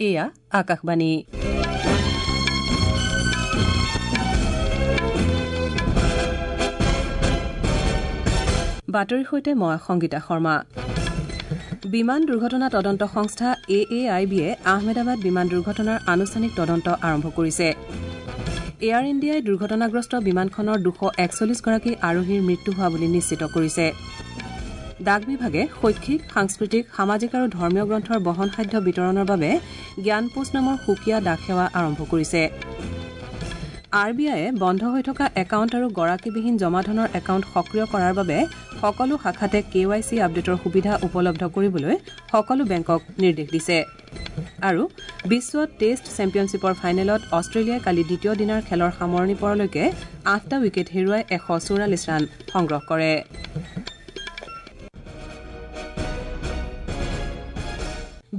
এয়া আকাশবাণী। বাতৰিৰ সৈতে মই সংগীতা শৰ্মা। বিমান দুৰ্ঘটনা তদন্ত সংস্থা এ এ I বিয়ে আহমেদাবাদ বিমান দুৰ্ঘটনাৰ আনুষ্ঠানিক তদন্ত আৰম্ভ কৰিছে। এয়াৰ ইণ্ডিয়াই দুৰ্ঘটনাগ্ৰস্ত বিমানখনৰ 241 গৰাকী আৰোহীৰ মৃত্যু হোৱা বুলি নিশ্চিত কৰিছে। ডাক বিভাগে শৈক্ষিক, সাংস্কৃতিক, সামাজিক আৰু ধৰ্মীয় গ্ৰন্থৰ বহনসাধ্য বিতৰণৰ বাবে জ্ঞানপোষ্ট নামৰ সুকীয়া ডাক সেৱা আৰম্ভ কৰিছে। আৰ বি আইয়ে বন্ধ হৈ থকা একাউণ্ট আৰু গৰাকীবিহীন জমাধনৰ একাউণ্ট সক্ৰিয় কৰাৰ বাবে সকলো শাখাতে কে ৱাই চি আপডেটৰ সুবিধা উপলব্ধ কৰিবলৈ সকলো বেংকক নিৰ্দেশ দিছে। আৰু বিশ্ব টেষ্ট চেম্পিয়নশ্বিপৰ ফাইনেলত অষ্ট্ৰেলিয়াই কালি দ্বিতীয় দিনাৰ খেলৰ সামৰণি পৰালৈকে আঠটা উইকেট হেৰুৱাই 144 ৰান সংগ্ৰহ কৰে।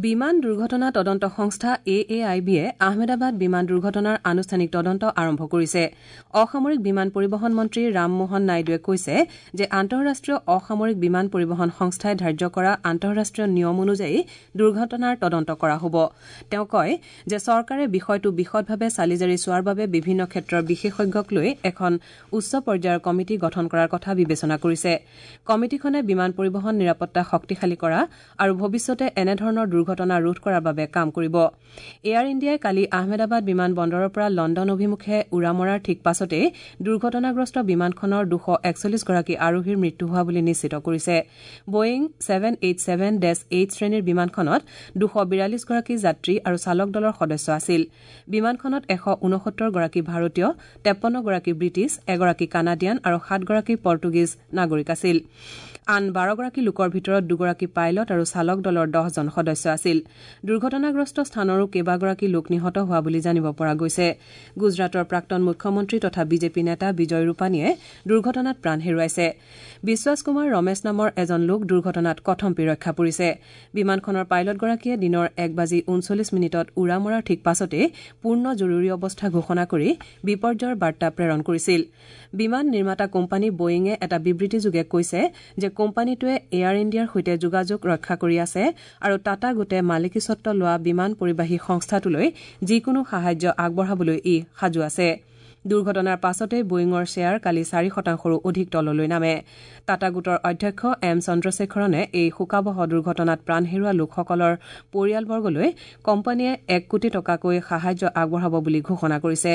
বিমান দুৰ্ঘটনা তদন্ত সংস্থা এ এ I বিয়ে আহমেদাবাদ বিমান দুৰ্ঘটনাৰ আনুষ্ঠানিক তদন্ত আৰম্ভ কৰিছে। অসামৰিক বিমান পৰিবহণ মন্ত্ৰী ৰামমোহন নাইডুৱে কৈছে যে আন্তঃৰাষ্ট্ৰীয় অসামৰিক বিমান পৰিবহণ সংস্থাই ধাৰ্য কৰা আন্তঃৰাষ্ট্ৰীয় নিয়ম অনুযায়ী দুৰ্ঘটনাৰ তদন্ত কৰা হ'ব। তেওঁ কয় যে চৰকাৰে বিষয়টো বিশদভাৱে চালিজাৰি চোৱাৰ বাবে বিভিন্ন ক্ষেত্ৰৰ বিশেষজ্ঞক লৈ এখন উচ্চ পৰ্যায়ৰ কমিটি গঠন কৰাৰ কথা বিবেচনা কৰিছে। কমিটিখনে বিমান পৰিবহণ নিৰাপত্তা শক্তিশালী কৰা আৰু ভৱিষ্যতে এনেধৰণৰ দুৰ্ঘটনা ৰোধ কৰাৰ বাবে কাম কৰিব। এয়াৰ ইণ্ডিয়াই কালি আহমেদাবাদ বিমান বন্দৰৰ পৰা লণ্ডন অভিমুখে উৰা মৰাৰ ঠিক পাছতেই দুৰ্ঘটনাগ্ৰস্ত বিমানখনৰ 241 গৰাকী আৰোহীৰ মৃত্যু হোৱা বুলি নিশ্চিত কৰিছে। বয়িং 787-8 শ্ৰেণীৰ বিমানখনত 242 গৰাকী যাত্ৰী আৰু চালক দলৰ সদস্য আছিল। বিমানখনত 169 গৰাকী ভাৰতীয়, 53 গৰাকী ব্ৰিটিছ, এগৰাকী কানাডিয়ান আৰু সাতগৰাকী পৰ্টুগীজ নাগৰিক আছিল। আন 12 গৰাকী লোকৰ ভিতৰত দুগৰাকী পাইলট আৰু চালক দলৰ 10জন সদস্য আছিল। দুৰ্ঘটনাগ্ৰস্ত স্থানৰো কেইবাগৰাকী লোক নিহত হোৱা বুলি জানিব পৰা গৈছে। গুজৰাটৰ প্ৰাক্তন মুখ্যমন্ত্ৰী তথা বিজেপি নেতা বিজয় ৰূপানীয়ে দুৰ্ঘটনাত প্ৰাণ হেৰুৱাইছে। বিশ্বাস কুমাৰ ৰমেশ নামৰ এজন লোক দুৰ্ঘটনাত কথমপি ৰক্ষা পৰিছে। বিমানখনৰ পাইলটগৰাকীয়ে দিনৰ 1 বাজি 39 মিনিটত উৰা মৰাৰ ঠিক পাছতেই পূৰ্ণ জৰুৰী অৱস্থা ঘোষণা কৰি বিপৰ্যয়ৰ বাৰ্তা প্ৰেৰণ কৰিছিল। বিমান নিৰ্মাতা কোম্পানী বয়িঙে এটা বিবৃতিযোগে কৈছে যে কোম্পানীটোৱে এয়াৰ ইণ্ডিয়াৰ সৈতে যোগাযোগ ৰক্ষা কৰি আছে আৰু টাটা গোটে মালিকীস্বত্ব লোৱা বিমান পৰিবাহী সংস্থাটোলৈ যিকোনো সাহায্য আগবঢ়াবলৈ ই সাজু আছে। দুৰ্ঘটনাৰ পাছতেই বয়িঙৰ শ্বেয়াৰ কালি 4 শতাংশৰো অধিক তললৈ নামে। টাটা গোটৰ অধ্যক্ষ এম চন্দ্ৰশেখৰণে এই শোকাৱহ দুৰ্ঘটনাত প্ৰাণ হেৰুওৱা লোকসকলৰ পৰিয়ালবৰ্গলৈ কোম্পানীয়ে 1 কোটি টকাকৈ সাহায্য আগবঢ়াব বুলি ঘোষণা কৰিছে।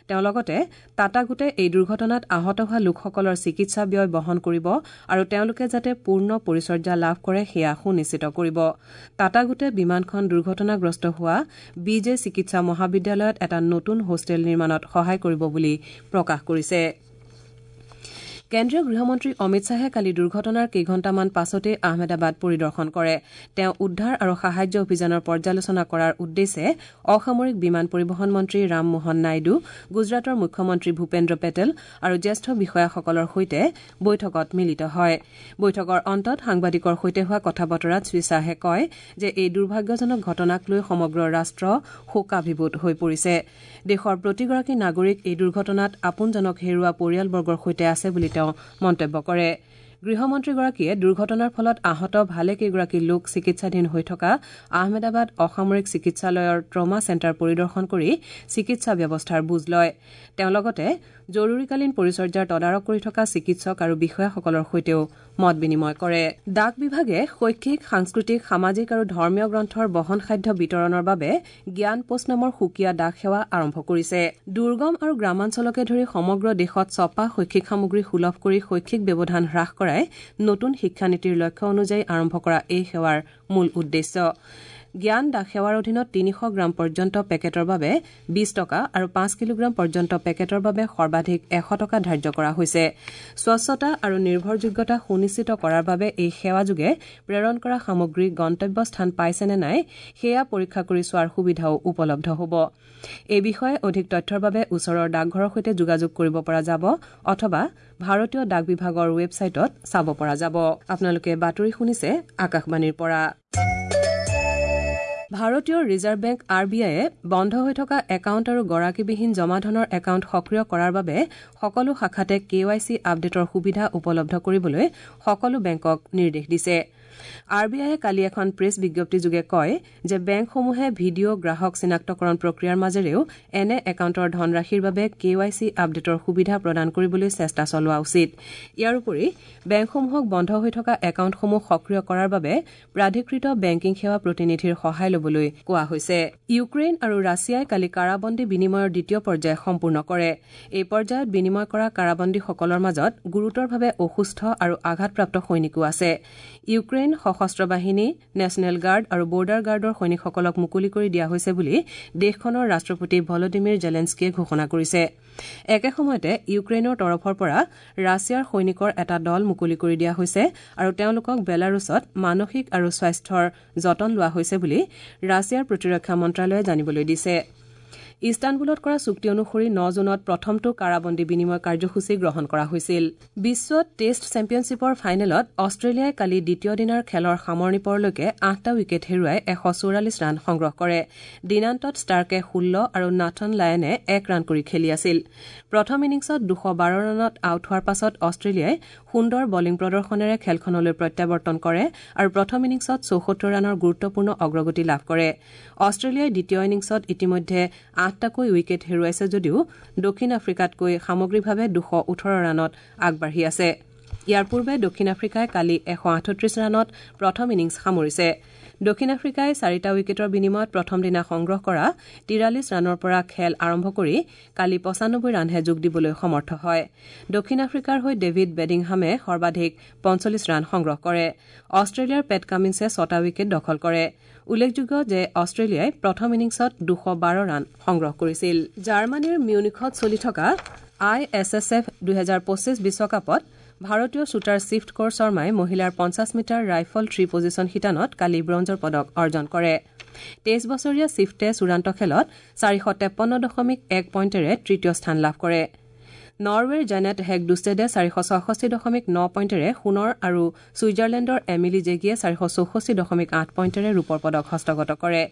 তেওঁ লগতে টাটা গোটে এই দুৰ্ঘটনাত আহত হোৱা লোকসকলৰ চিকিৎসা ব্যয় বহন কৰিব আৰু তেওঁলোকে যাতে পূৰ্ণ পৰিচৰ্যা লাভ কৰে, সেয়া সুনিশ্চিত কৰিব। টাটা গোটে বিমানখন দুৰ্ঘটনাগ্ৰস্ত হোৱা বি জে চিকিৎসা মহাবিদ্যালয়ত এটা নতুন হোষ্টেল নিৰ্মাণত সহায় কৰিব বুলি প্ৰকাশ কৰিছে। কেন্দ্ৰীয় গৃহমন্ত্ৰী অমিত শ্বাহে কালি দুৰ্ঘটনাৰ কেইঘণ্টামান পাছতেই আহমেদাবাদ পৰিদৰ্শন কৰে। তেওঁ উদ্ধাৰ আৰু সাহায্য অভিযানৰ পৰ্যালোচনা কৰাৰ উদ্দেশ্যে অসামৰিক বিমান পৰিবহণ মন্ত্ৰী ৰামমোহন নাইডু, গুজৰাটৰ মুখ্যমন্ত্ৰী ভূপেন্দ্ৰ পেটেল আৰু জ্যেষ্ঠ বিষয়াসকলৰ সৈতে বৈঠকত মিলিত হয়। বৈঠকৰ অন্তত সাংবাদিকৰ সৈতে হোৱা কথা বতৰাত শ্ৰীশ্বাহে কয় যে এই দুৰ্ভাগ্যজনক ঘটনাক লৈ সমগ্ৰ ৰাষ্ট্ৰ শোকাভিভূত হৈ পৰিছে। দেশৰ প্ৰতিগৰাকী নাগৰিক এই দুৰ্ঘটনাত আপোনজনক হেৰুওৱা পৰিয়ালবৰ্গৰ সৈতে আছে বুলি তেওঁ মন্তব্য কৰে। গৃহমন্ত্ৰীগৰাকীয়ে দুৰ্ঘটনাৰ ফলত আহত ভালেকেইগৰাকী লোক চিকিৎসাধীন হৈ থকা আহমেদাবাদ অসামৰিক চিকিৎসালয়ৰ ট্ৰমা চেণ্টাৰ পৰিদৰ্শন কৰি চিকিৎসা ব্যৱস্থাৰ বুজ লয়। তেওঁ লগতে জৰুৰীকালীন পৰিচৰ্যাৰ তদাৰক কৰি থকা চিকিৎসক আৰু বিষয়াসকলৰ সৈতেও মত বিনিময় কৰে। ডাক বিভাগে শৈক্ষিক, সাংস্কৃতিক, সামাজিক আৰু ধৰ্মীয় গ্ৰন্থৰ বহনসাধ্য বিতৰণৰ বাবে জ্ঞান পোষ্ট নামৰ সুকীয়া ডাক সেৱা আৰম্ভ কৰিছে। দুৰ্গম আৰু গ্ৰামাঞ্চলকে ধৰি সমগ্ৰ দেশত ছপা শৈক্ষিক সামগ্ৰী সুলভ কৰি শৈক্ষিক ব্যৱধান হ্ৰাস কৰাই নতুন শিক্ষানীতিৰ লক্ষ্য অনুযায়ী আৰম্ভ কৰা এই সেৱাৰ মূল উদ্দেশ্য। জ্ঞান ডাক সেৱাৰ অধীনত 300 গ্ৰাম পৰ্যন্ত পেকেটৰ বাবে 20 টকা আৰু 5 কিলোগ্ৰাম পৰ্যন্ত পেকেটৰ বাবে সৰ্বাধিক 100 টকা ধাৰ্য কৰা হৈছে। স্বচ্ছতা আৰু নিৰ্ভৰযোগ্যতা সুনিশ্চিত কৰাৰ বাবে এই সেৱাযোগে প্ৰেৰণ কৰা সামগ্ৰী গন্তব্য স্থান পাইছে নে নাই, সেয়া পৰীক্ষা কৰি চোৱাৰ সুবিধাও উপলব্ধ হ'ব। এই বিষয়ে অধিক তথ্যৰ বাবে ওচৰৰ ডাকঘৰৰ সৈতে যোগাযোগ কৰিব পৰা যাব অথবা ভাৰতীয় ডাক বিভাগৰ ৱেবছাইটত চাব পৰা যাব। আপোনালোকে বাতৰি শুনিছে আকাশবাণীৰ পৰা। ভাৰতীয় ৰিজাৰ্ভ বেংক আৰ বি আইয়ে বন্ধ হৈ থকা একাউণ্ট আৰু গৰাকীবিহীন জমাধনৰ একাউণ্ট সক্ৰিয় কৰাৰ বাবে সকলো শাখাতে কে ৱাই চি আপডেটৰ সুবিধা উপলব্ধ কৰিবলৈ সকলো বেংকক নিৰ্দেশ দিছে। আৰ বি আইয়ে কালি এখন প্ৰেছ বিজ্ঞপ্তিযোগে কয় যে বেংকসমূহে ভিডিঅ' গ্ৰাহক চিনাক্তকৰণ প্ৰক্ৰিয়াৰ মাজেৰেও এনে একাউণ্টৰ ধনৰাশিৰ বাবে কে ৱাই চি আপডেটৰ সুবিধা প্ৰদান কৰিবলৈ চেষ্টা চলোৱা উচিত। ইয়াৰ উপৰি বেংকসমূহক বন্ধ হৈ থকা একাউণ্টসমূহ সক্ৰিয় কৰাৰ বাবে প্ৰাধিকৃত বেংকিং সেৱা প্ৰতিনিধিৰ সহায় ল'বলৈ কোৱা হৈছে। ইউক্ৰেইন আৰু ৰাছিয়াই কালি কাৰাবন্দী বিনিময়ৰ দ্বিতীয় পৰ্যায় সম্পূৰ্ণ কৰে। এই পৰ্যায়ত বিনিময় কৰা কাৰাবন্দীসকলৰ মাজত গুৰুতৰভাৱে অসুস্থ আৰু আঘাতপ্ৰাপ্ত সৈনিকো আছে। ইউক্ৰেইন সশস্ত্ৰ বাহিনী, নেশ্যনেল গাৰ্ড আৰু বৰ্ডাৰ গাৰ্ডৰ সৈনিকসকলক মুকলি কৰি দিয়া হৈছে বুলি দেশখনৰ ৰাষ্ট্ৰপতি ভলডিমিৰ জেলেনস্কিয়ে ঘোষণা কৰিছে। একে সময়তে ইউক্ৰেইনৰ তৰফৰ পৰা ৰাছিয়াৰ সৈনিকৰ এটা দল মুকলি কৰি দিয়া হৈছে আৰু তেওঁলোকক বেলাৰুছত মানসিক আৰু স্বাস্থ্যৰ যতন লোৱা হৈছে বুলি ৰাছিয়াৰ প্ৰতিৰক্ষা মন্ত্ৰালয়ে জানিবলৈ দিছে। ইস্তানবুলত কৰা চুক্তি অনুসৰি ৯ জুনত প্ৰথমটো কাৰাবন্দী বিনিময় কাৰ্যসূচী গ্ৰহণ কৰা হৈছিল। বিশ্ব টেষ্ট চেম্পিয়নশ্বিপৰ ফাইনেলত অষ্ট্ৰেলিয়াই কালি দ্বিতীয় দিনাৰ খেলৰ সামৰণি পৰলৈকে ৮টা উইকেট হেৰুৱাই ১৪৪ ৰান সংগ্ৰহ কৰে। দিনান্তত ষ্টাৰ্কে ১৬ আৰু নাথন লায়নে ১ ৰান কৰি খেলি আছিল। প্ৰথম ইনিংছত ২১২ ৰানত আউট হোৱাৰ পাছত অষ্ট্ৰেলিয়াই সুন্দৰ বলিং প্ৰদৰ্শনেৰে খেলখনলৈ প্ৰত্যাৱৰ্তন কৰে আৰু প্ৰথম ইনিংছত ৭৪ ৰানৰ গুৰুত্বপূৰ্ণ অগ্ৰগতি লাভ কৰে। অষ্ট্ৰেলিয়াই দ্বিতীয় ইনিংছত ইতিমধ্যে ৮টাকৈ উইকেট হেৰুৱাইছে যদিও দক্ষিণ আফ্ৰিকাতকৈ সামগ্ৰিকভাৱে ২১৮ ৰানত আগবাঢ়ি আছে। ইয়াৰ পূৰ্বে দক্ষিণ আফ্ৰিকাই কালি ১৩৮ ৰানত প্ৰথম ইনিংছ সামৰিছে। দক্ষিণ আফ্ৰিকাই ৪টা উইকেটৰ বিনিময়ত প্ৰথম দিনা সংগ্ৰহ কৰা ৪৩ ৰানৰ পৰা খেল আৰম্ভ কৰি কালি ৯৫ ৰানহে যোগ দিবলৈ সমৰ্থ হয়। দক্ষিণ আফ্ৰিকাৰ হৈ ডেভিড বেডিংহামে সৰ্বাধিক ৪৫ ৰান সংগ্ৰহ কৰে। অষ্ট্ৰেলিয়াৰ পেট কামিন্সে ৬টা উইকেট দখল কৰে। উল্লেখযোগ্য যে অষ্ট্ৰেলিয়াই প্ৰথম ইনিংছত ২১২ ৰান সংগ্ৰহ কৰিছিল। জাৰ্মানীৰ মিউনিখত চলি থকা I S S F ২০২৫ বিশ্বকাপত ভাৰতীয় শ্বুটাৰ চিফ্ট কৌৰ শৰ্মাই মহিলাৰ ৫০ মিটাৰ ৰাইফল থ্ৰী পজিছন শিতানত কালি ব্ৰঞ্জৰ পদক অৰ্জন কৰে। ২৩ বছৰীয়া চিফ্টে চূড়ান্ত খেলত ৪৫৩.১ পইণ্টেৰে তৃতীয় স্থান লাভ কৰে। নৰৱেৰ জেনেট হেগডুষ্টেডে ৪৬৬.৯ পইণ্টেৰে সোণৰ আৰু ছুইজাৰলেণ্ডৰ এমিলি জেগিয়ে ৪৬৪.৮ পইণ্টেৰে ৰূপৰ পদক হস্তগত কৰে।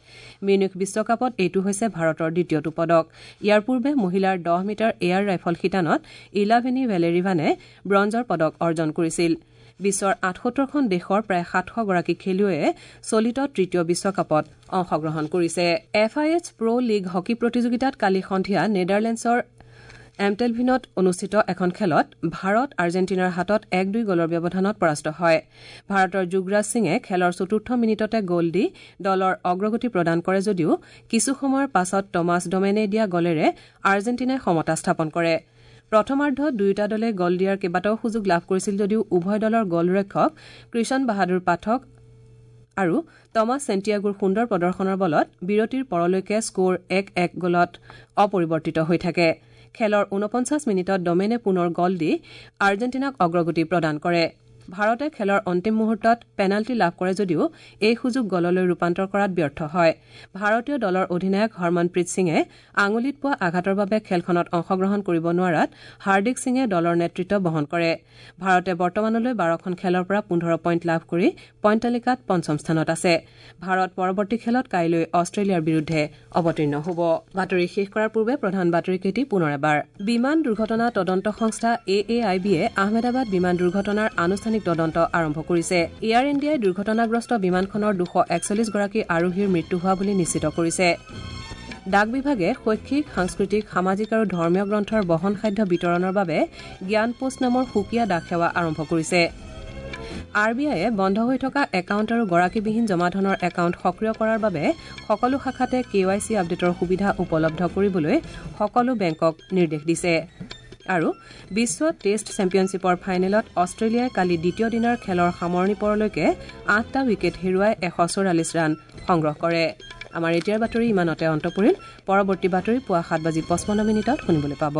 মিউনিখ বিশ্বকাপত এইটো হৈছে ভাৰতৰ দ্বিতীয়টো পদক। ইয়াৰ পূৰ্বে মহিলাৰ ১০ মিটাৰ এয়াৰ ৰাইফল শিতানত ইলাভেনি ভেলেৰিভানে ব্ৰঞ্জৰ পদক অৰ্জন কৰিছিল। বিশ্বৰ ৭৮খন দেশৰ প্ৰায় ৭০০ গৰাকী খেলুৱৈয়ে চলিত তৃতীয় বিশ্বকাপত অংশগ্ৰহণ কৰিছে। F I H pro league hockey প্ৰতিযোগিতাত কালি সন্ধিয়া নেডাৰলেণ্ডছৰ এমটেলভিনত অনুষ্ঠিত এখন খেলত ভাৰত আৰ্জেণ্টিনাৰ হাতত ১-২ গ'লৰ ব্যৱধানত পৰাস্ত হয়। ভাৰতৰ যুগৰাজ সিঙে খেলৰ চতুৰ্থ মিনিটতে গ'ল দি দলৰ অগ্ৰগতি প্ৰদান কৰে যদিও কিছু সময়ৰ পাছত টমাছ ডমেনে দিয়া গ'লেৰে আৰ্জেণ্টিনাই সমতা স্থাপন কৰে। প্ৰথমাৰ্ধত দুয়োটা দলে গ'ল দিয়াৰ কেইবাটাও সুযোগ লাভ কৰিছিল যদিও উভয় দলৰ গ'লৰক্ষক কৃষণ বাহাদুৰ পাঠক আৰু টমাছ চেণ্টিয়াগোৰ সুন্দৰ প্ৰদৰ্শনৰ বলত বিৰতিৰ পৰলৈকে স্ক'ৰ ১-১ গ'লত অপৰিৱৰ্তিত হৈ থাকে। খেলৰ ৪৯ মিনিটত ডমেনে পুনৰ গ'ল দি আৰ্জেণ্টিনাক অগ্ৰগতি প্ৰদান কৰে। ভাৰতে খেলৰ অন্তিম মুহূৰ্তত পেনাল্টি লাভ কৰে যদিও এই সুযোগ গ'ললৈ ৰূপান্তৰ কৰাত ব্যৰ্থ হয়। ভাৰতীয় দলৰ অধিনায়ক হৰমনপ্ৰীত সিঙে আঙুলিত পোৱা আঘাতৰ বাবে খেলখনত অংশগ্ৰহণ কৰিব নোৱাৰাত হাৰ্দিক সিঙে দলৰ নেতৃত্ব বহন কৰে। ভাৰতে বৰ্তমানলৈ ১২খন খেলৰ পৰা ১৫ পইণ্ট লাভ কৰি পইণ্ট তালিকাত পঞ্চম স্থানত আছে। ভাৰত পৰৱৰ্তী খেলত কাইলৈ অষ্ট্ৰেলিয়াৰ বিৰুদ্ধে অৱতীৰ্ণ হ'ব। বাতৰি শেষ কৰাৰ পূৰ্বে প্ৰধান বাতৰিকেইটি পুনৰ এবাৰ। বিমান দুৰ্ঘটনা তদন্ত সংস্থা এ এ I বিয়ে আহমেদাবাদ বিমান দুৰ্ঘটনাৰ আনুষ্ঠানিক তদন্ত আৰম্ভ কৰিছে। এয়াৰ ইণ্ডিয়াই দুৰ্ঘটনাগ্ৰস্ত বিমানখনৰ ২৪১ গৰাকী আৰোহীৰ মৃত্যু হোৱা বুলি নিশ্চিত কৰিছে। ডাক বিভাগে শৈক্ষিক, সাংস্কৃতিক, সামাজিক আৰু ধৰ্মীয় গ্ৰন্থৰ বহনসাধ্য বিতৰণৰ বাবে জ্ঞান পোষ্ট নামৰ সুকীয়া ডাক সেৱা আৰম্ভ কৰিছে। আৰ বি আইয়ে বন্ধ হৈ থকা একাউণ্ট আৰু গৰাকীবিহীন জমাধনৰ একাউণ্ট সক্ৰিয় কৰাৰ বাবে সকলো শাখাতে কে ৱাই চি আপডেটৰ সুবিধা উপলব্ধ কৰিবলৈ সকলো বেংকক নিৰ্দেশ দিছে। আৰু বিশ্ব টেষ্ট চেম্পিয়নশ্বিপৰ ফাইনেলত অষ্ট্ৰেলিয়াই কালি দ্বিতীয় দিনাৰ খেলৰ সামৰণি পৰলৈকে ৮টা উইকেট হেৰুৱাই ১৪৪ ৰান সংগ্ৰহ কৰে। আমাৰ এতিয়াৰ বাতৰি ইমানতে অন্ত পৰিল। পৰৱৰ্তী বাতৰি পুৱা ৭:৫৫ শুনিবলৈ পাব।